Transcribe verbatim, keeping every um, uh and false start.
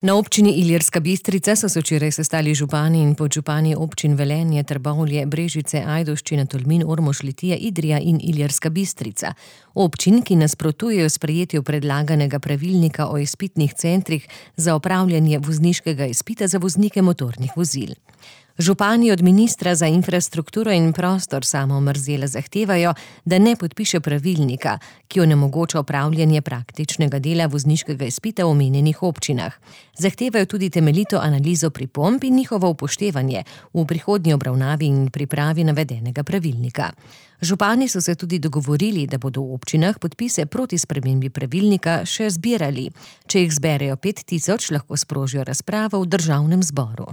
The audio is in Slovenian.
Na občini Ilirska Bistrica so se včeraj sestali župani in podžupani občin Velenje, Trbovlje, Brežice, Ajdovščina, Tolmin, Ormož, Litija, Idrija in Ilirska Bistrica. Občin, ki nasprotujejo sprejetju predlaganega pravilnika o izpitnih centrih za opravljanje vozniškega izpita za voznike motornih vozil. Župani od ministra za infrastrukturo in prostor Samo Omerzela zahtevajo, da ne podpiše pravilnika, ki onemogoča opravljanje praktičnega dela vozniškega izpita v omenjenih občinah. Zahtevajo tudi temeljito analizo pripomb in njihovo upoštevanje v prihodnji obravnavi in pripravi navedenega pravilnika. Župani so se tudi dogovorili, da bodo v občinah podpise proti spremembi pravilnika še zbirali. Če jih zberejo pet tisoč, lahko sprožijo razpravo v državnem zboru.